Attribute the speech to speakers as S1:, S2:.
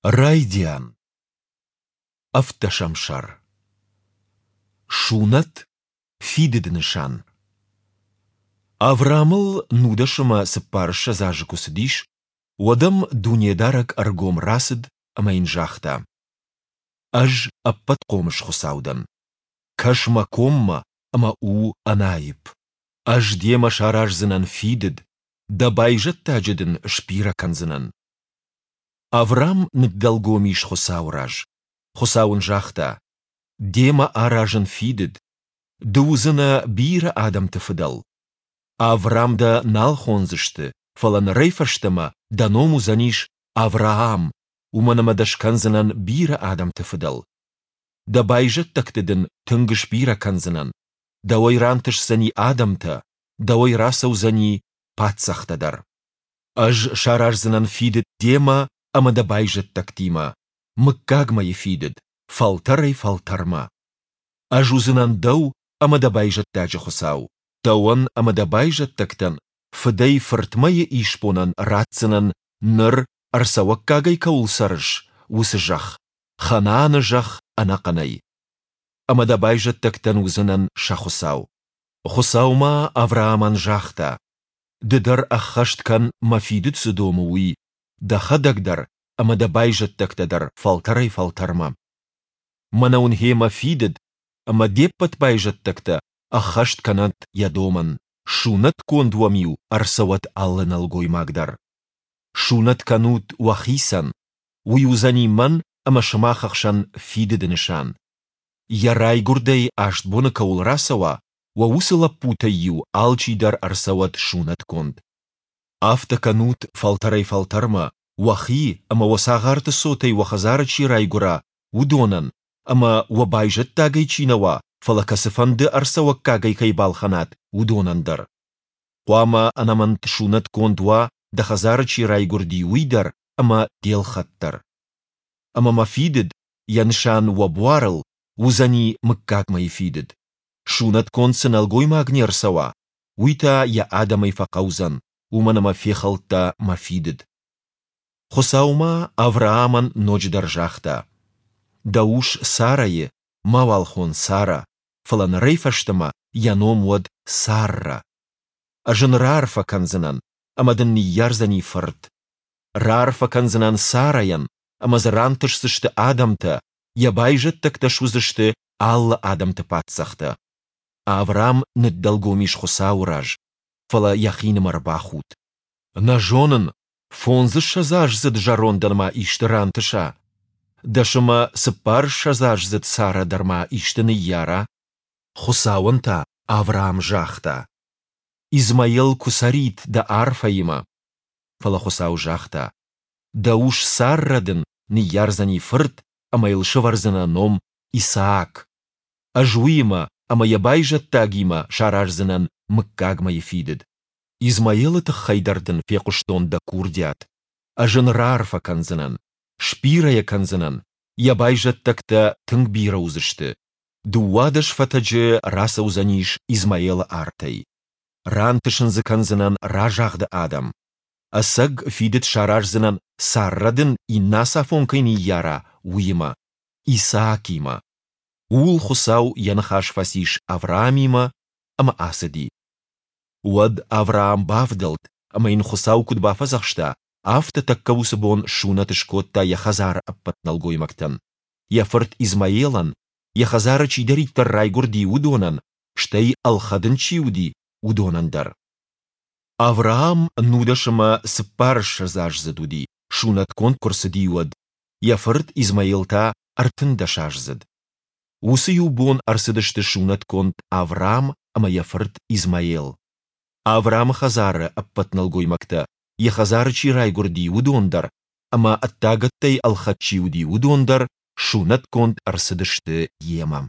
S1: Райдиан. Ӕвддӕсӕм сӕр. Сунӕт, фидыды нысан. Авраамыл 19 ӕмӕ 24 азы куы цыдис, уӕд ӕм Дунедарӕг ӕргом рацыд ӕмӕ йын загъта: Ӕз Ӕппӕтхъомыс Хуыцау дӕн. Кӕс мӕ коммӕ ӕмӕ у ӕнаипп. Ӕз демӕ сараздзынӕн фидыд, дӕ байзӕддаджы дын сбирӕ кӕндзынӕн. Авраам ныддӕлгом ис Хуыцауы раз. Хуыцау ын загъта: Демӕ аразын фидыд. Ды уыдзынӕ бирӕ адӕмты фыдӕл. Аврам дӕ нал хондзысты, фӕлӕ нырӕй фӕстӕмӕ дӕ ном уыдзӕнис Авраам, уымӕн ӕмӕ дӕ скӕндзынӕн бирӕ адӕмты фыдӕл. Дӕ байзӕддӕгты дын тынг сбирӕ кӕндзынӕн, дӕуӕй рантысдзӕни адӕмтӕ, дӕуӕй рацӕудзӕни паддзӕхтӕ дӕр. Ӕз сараздзынӕн фидыд демӕ ӕмӕ дӕ байзӕддӕгтимӕ, мыггагмӕйы фидыд, фӕлтӕрӕй-фӕлтӕрмӕ. Ӕз уыдзынӕн дӕу ӕмӕ дӕ байзӕддаджы Хуыцау. Дӕуӕн ӕмӕ дӕ байзӕддӕгтӕн фыдӕй-фыртмӕйы исбонӕн ратдзынӕн, ныр ӕрцӕуӕггагӕй кӕуыл цӕрыс, уыцы зӕхх, Ханааны зӕхх ӕнӕхъӕнӕй. Ӕмӕ дӕ байзӕддӕгтӕн уыдзынӕн сӕ Хуыцау. Хуыцау ма Авраамӕн загъта: Ды дӕр ӕххӕст кӕн, мӕ фидыд цы домы, уый, дӕхӕдӕг дӕр ӕмӕ дӕ байзӕддӕгтӕ дӕр фӕлтӕрӕй-фӕлтӕрмӕ. Мӕнӕ уын гъе мӕ фидыд, ӕмӕ де ппӕт байзӕддӕгтӕ ӕххӕст кӕнӕнт йӕ домӕн, сунӕтгонд уӕм-иу ӕрцӕуӕд алы нӕлгоймаг дӕр. Сунӕт кӕнут уӕхицӕн, уый уыдзӕни мӕн ӕмӕ сымах ӕхсӕн фидыды нысан. Йӕ райгуырдӕй аст боны кӕуыл рацӕуа, уӕ уыцы лӕппутӕй-иу алчидӕр ӕрцӕуӕд сунӕтгонд. Афтӕ кӕнут фӕлтӕрӕй-фӕлтӕрмӕ, уӕхи ӕмӕ уӕ цагъарты цотӕй уӕ хӕдзары чи райгуыра, уыдонӕн, ӕмӕ уӕ байзӕддагӕй чи нӕ уа, фӕлӕ кӕцыфӕнды ӕрцӕуӕггагӕй кӕй балхӕнат, уыдонӕн дӕр. Хъуамӕ ӕнӕмӕнг сунӕтгонд уа, дӕ хӕдзары чи райгуырди, уый дӕр ӕмӕ де лхӕд дӕр. Ӕмӕ мӕ фидыд, йӕ нысан уӕ буарыл, уыдзӕни мыггагмӕйы фидыд. Сунӕтгонд цы нӕлгоймаг не рцӕуа, уый та йӕ адӕмӕй фӕхъӕудзӕн, уымӕн ӕмӕ фехӕлдта мӕ фидыд. Хуыцау ма Авраамӕн ноджыдӕр загъта: Дӕ ус Сарӕйы мауал хон Сара, фӕлӕ нырӕй фӕстӕмӕ йӕ ном уӕд Саррӕ. Ӕз ын раарфӕ кӕндзынӕн, ӕмӕ дын ныййардзӕни фырт. Раарфӕ кӕндзынӕн Сарӕйӕн, ӕмӕ дзы рантысдзысты адӕмтӕ, йӕ байзӕддӕгтӕ суыдзысты алы адӕмты паддзӕхтӕ. Авраам ныддӕлгом ис Хуыцауы раз, фӕлӕ йӕхинымӕр бахудт. Нӕ зонын, фондзыссӕдзаздзыд зӕрондӕн ма исты рантыса? Дӕс ӕмӕ цыппарыссӕдзаздзыд Сарӕ дӕр ма исты ныййара? Хуыцауӕн та Авраам загъта: Измаил куы цӕрид дӕ арфӕимӕ. Фӕлӕ Хуыцау загъта: Дӕ ус Саррӕ дын ныййардзӕни фырт ӕмӕ йыл сӕвӕрдзынӕ ном Исаак. Ӕз уыимӕ ӕмӕ йӕ байзӕддагимӕ сараздзынӕн мыггагмӕйы фидыд. Измаилы тыххӕй дӕр дын фехъуыстон дӕ курдиат. Ӕз ын раарфӕ кӕндзынӕн, сбирӕ йӕ кӕндзынӕн, йӕ байзӕддӕгтӕ тынг бирӕ уыдзысты. 12 фӕтӕджы рацӕудзӕнис Измаилы артӕй. Рантысын дзы кӕндзынӕн разагъды адӕм. Ӕцӕг фидыд сараздзынӕн, Саррӕ дын иннӕ ацафон кӕй ныййара, уыимӕ, Исаакимӕ. Ууыл Хуыцау йӕ ныхас фӕцис Авраамимӕ ӕмӕ ацыди. Уӕд Авраам бавдӕлд, ӕмӕ йын Хуыцау куыд бафӕдзӕхста, афтӕ тӕккӕ уыцы бон сунӕт скодта йӕ хӕдзары ӕппӕт нӕлгоймӕгтӕн, йӕ фырт Измаилӕн, йӕ хӕдзары чидӕриддӕр райгуырди, уыдонӕн, стӕй ӕлхӕд ын чи уыди, уыдонӕн дӕр. Авраам 19 ӕмӕ 24-аздзыд уыди, сунӕтгонд куы рцыди, уӕд, йӕ фырт Измаил та 13-аздзыд. Уыцы иу бон ӕрцыдысты сунӕтгонд Авраам ӕмӕ йӕ фырт Измаил. Авраамы хӕдзары ӕппӕт нӕлгоймӕгтӕ, йӕ хӕдзары чи райгуырди, уыдон дӕр, ӕмӕ ӕддагӕттӕй ӕлхӕд чи уыди, уыдон дӕр сунӕтгонд ӕрцыдысты йемӕ.